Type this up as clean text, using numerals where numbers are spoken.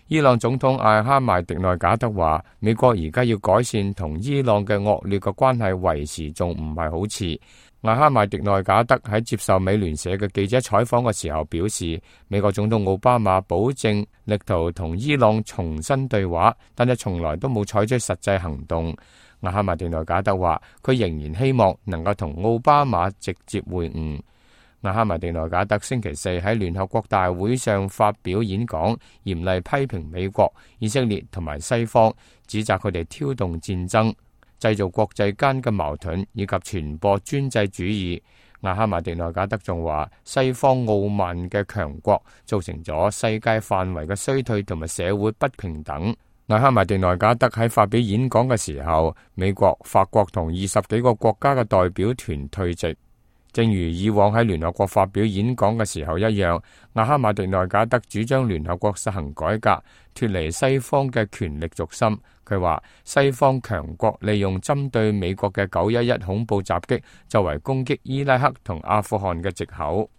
伊朗總統艾哈邁迪內賈德話，美國而家要改善同伊朗嘅惡劣嘅關係，為時仲唔係好遲。艾哈邁迪內賈德喺接受美聯社嘅記者採訪嘅時候表示，美國總統奧巴馬保證力圖同伊朗重新對話，但係從來都冇採取實際行動。艾哈邁迪內賈德話，佢仍然希望能夠同奧巴馬直接會晤。艾哈邁迪內賈德星期四喺聯合國大會上發表演講，嚴厲批評美國、以色列同埋西方，指責佢哋挑動戰爭、製造國際間嘅矛盾以及傳播專制主義。艾哈邁迪內賈德仲話，西方傲慢嘅強國造成咗世界範圍嘅衰退同埋社會不平等。艾哈邁迪內賈德喺發表演講嘅時候，美國、法國同20幾個國家嘅代表團退席。正如以往喺聯合國發表演講嘅時候一樣，艾哈邁迪內賈德主張聯合國實行改革，脫離西方嘅權力軸心。佢話西方強國利用針對美國嘅911恐怖襲擊作為攻擊伊拉克同阿富汗嘅藉口。